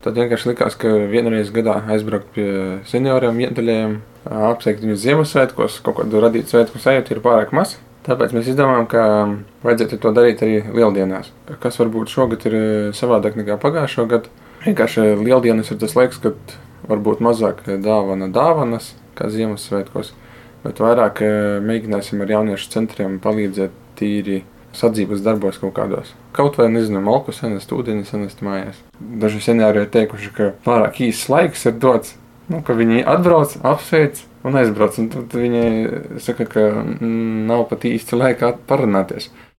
Tad vienkārši likās, ka vienreiz gadā aizbraukt pie senioriem, vientuļajiem, apsveikt viņus Ziemassvētkos, kaut kādu radīt svētku sajūtu ir pārāk maz. Tāpēc mēs izdomājām, ka vajadzētu to darīt arī lieldienās. Kas varbūt šogad ir savādāk nekā pagājušo gadu. Vienkārši lieldienas ir tas laiks, kad varbūt mazāk dāvanas, kā Ziemassvētkos, bet vairāk mēģināsim ar jauniešu centriem palīdzēt tīri sadzīves darbos kaut kādos. Kaut vai, nezinu, malku senest, ūdeni senest mājās. Daži seniori ir teikuši, ka pārāk īsts laiks ir dots, ka viņi atbrauc, apsveic un aizbrauc. Un tad viņi saka, ka nav pat īsti laika parunāties.